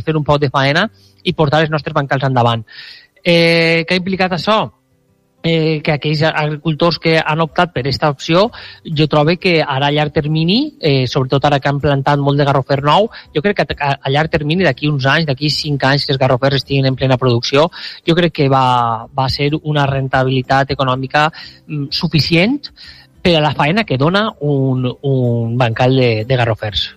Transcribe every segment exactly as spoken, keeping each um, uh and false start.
fer un poc de faena i portar els nostres bancals endavant. Eh, què ha implicat això? Eh, que aquells agricultors que han optat per aquesta opció, jo trobo que ara a llarg termini, eh, sobretot ara que han plantat molt de garrofer nou, jo crec que a, a llarg termini, d'aquí uns anys, d'aquí cinc anys que els garrofers estiguin en plena producció, jo crec que va, va ser una rentabilitat econòmica mm, suficient per a la faena que dona un, un bancal de, de garrofers.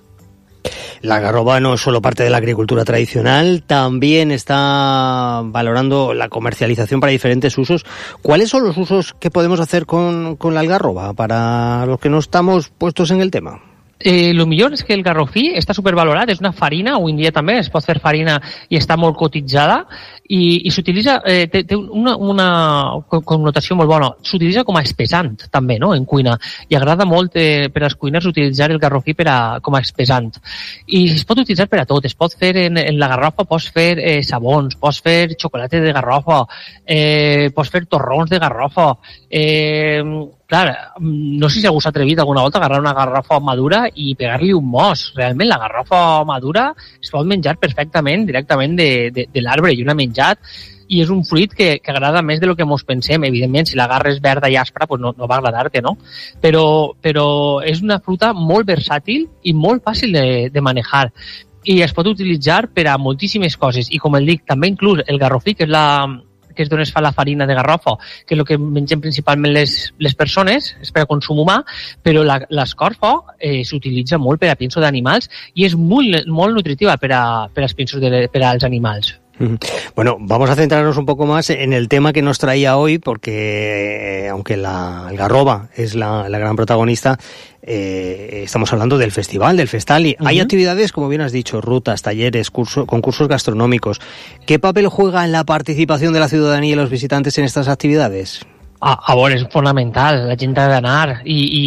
La garroba no es solo parte de la agricultura tradicional, también está valorando la comercialización para diferentes usos. ¿Cuáles son los usos que podemos hacer con, con la algarroba para los que no estamos puestos en el tema? Eh, lo millor és que el garrofí està supervalorat, és una farina, avui en dia també es pot fer farina i està molt cotitzada i, i s'utilitza, eh, té, té una, una connotació molt bona, s'utilitza com a espesant també, no?, en cuina, i agrada molt eh, per als cuiners utilitzar el garrofí per a, com a espesant, i es pot utilitzar per a tot, es pot fer en, en la garrofa, pots fer eh, sabons, pots fer xocolata de garrofa, eh, pots fer torrons de garrofa, eh, clar, no sé si algú s'ha atrevit alguna volta a agarrar una garrofa madura i pegar-li un mos. Realment, la garrofa madura es pot menjar perfectament directament de, de, de l'arbre. Jo n'he menjat i és un fruit que, que agrada més de lo que mos pensem. Evidentment, si l'agarres verda i aspra, pues no, no va agradar-te, no? Però, però és una fruita molt versàtil i molt fàcil de, de manejar. I es pot utilitzar per a moltíssimes coses. I com el dic, també inclús el garrofí, que és la... que és d'on es fa la farina de garrofa, que és el que mengem principalment les, les persones, és per a consum humà, però la, l'escorfa eh, s'utilitza molt per a pinso d'animals i és molt, molt nutritiva per, a, per als pinsos de, per als animals. Bueno, vamos a centrarnos un poco más en el tema que nos traía hoy, porque eh, aunque la algarroba es la, la gran protagonista, eh, estamos hablando del festival, del Festali. Uh-huh. Hay actividades, como bien has dicho, rutas, talleres, curso, concursos gastronómicos. ¿Qué papel juega en la participación de la ciudadanía y los visitantes en estas actividades? A, a veure, és fonamental, la gent ha d'anar i, i,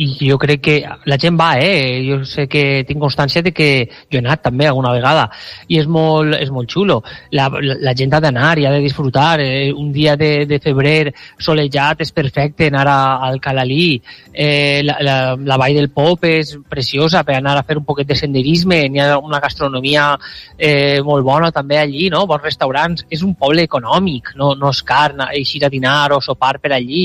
i jo crec que la gent va, eh? Jo sé que tinc constància de que jo he anat també alguna vegada i és molt, és molt xulo. La, la, la gent ha d'anar i ha de disfrutar. Eh? Un dia de, de febrer solejat és perfecte anar a, al Calalí. Eh, la, la, la Vall del Pop és preciosa per anar a fer un poquet de senderisme. N'hi ha una gastronomia eh, molt bona també allí, no? Bons restaurants. És un poble econòmic, no, no és car eixir a dinar o sopar per allí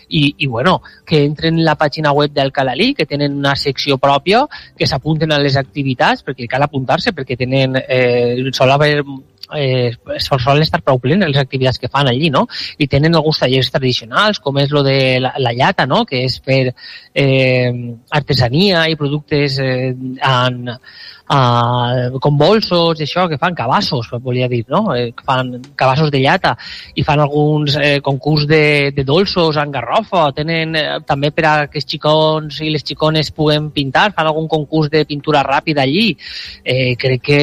i, i bueno, que entren en la pàgina web del Calalí, que tenen una secció pròpia, que s'apunten a les activitats, perquè cal apuntar-se, perquè tenen, eh, sol haver eh, solen estar prou plenes les activitats que fan allí, no? I tenen alguns tallers tradicionals, com és lo de la, la llata, no? Que és fer eh, artesania i productes eh, en Uh, com bolsos i això, que fan cabassos, volia dir, no? Eh, fan cabassos de llata i fan alguns eh, concurs de, de dolços en garrofa, tenen eh, també per a que els xicons i les xicones puguen pintar, fan algun concurs de pintura ràpida allí. Eh, crec que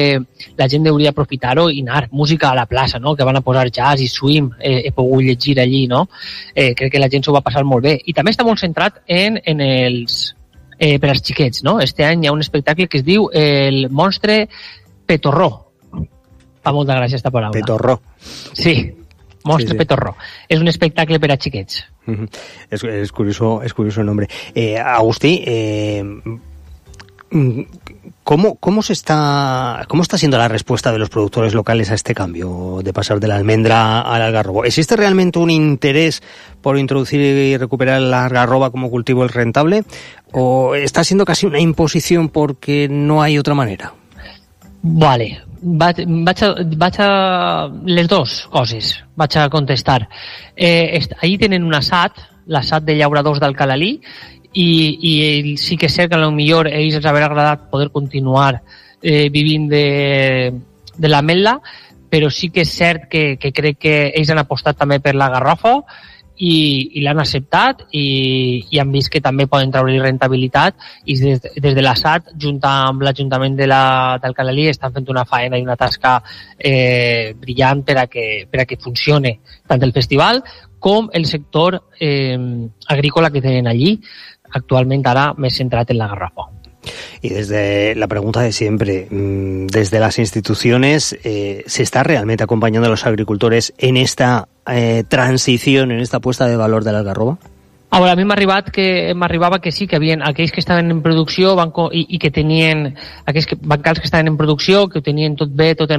la gent hauria aprofitar-ho i anar, música a la plaça, no? Que van a posar jazz i swing, eh, he pogut llegir allí, no? Eh, crec que la gent s'ho va passar molt bé. I també està molt centrat en, en els Eh, per als xiquets, no? Este any hi ha un espectacle que es diu el Monstre Petorró. Fa molta gràcia aquesta paraula. Petorró. Sí, Monstre sí, sí. Petorró. És un espectacle per a xiquets. Uh-huh. Es, es, curioso, es curioso el nombre. Eh, Agustí, eh, ¿cómo, cómo, se está, ¿cómo está siendo la respuesta de los productores locales a este cambio de pasar de la almendra al algarrobo? ¿Existe realmente un interés por introducir y recuperar la algarroba como cultivo rentable? ¿O está siendo casi una imposición porque no hay otra manera? Vale, vaig, vaig, a, vaig a les dues coses, vaig a contestar. Eh, allí tenen un assat, l'assat de llauradors del Calalí, i, i sí que és cert que potser ells els haurà agradat poder continuar eh, vivint de, de l'ametla, però sí que és cert que, que crec que ells han apostat també per la garrofa i, i l'han acceptat i, i han vist que també poden treure rentabilitat i des, des de l'assat, junt amb l'Ajuntament de la, del Calalí, estan fent una faena i una tasca eh, brillant per a, que, per a que funcione tant el festival com el sector eh, agrícola que tenen allí, actualment ara més centrat en la garrofa. Y desde la pregunta de siempre, desde las instituciones, eh, ¿se está realmente acompañando a los agricultores en esta eh, transición, en esta puesta de valor de la algarroba? Ahora, a mi m'ha arribat que m'arribava que sí, que havien aquells que estaven en producció van, i, i que tenien aquells que, bancals que estaven en producció, que ho tenien tot bé, tot en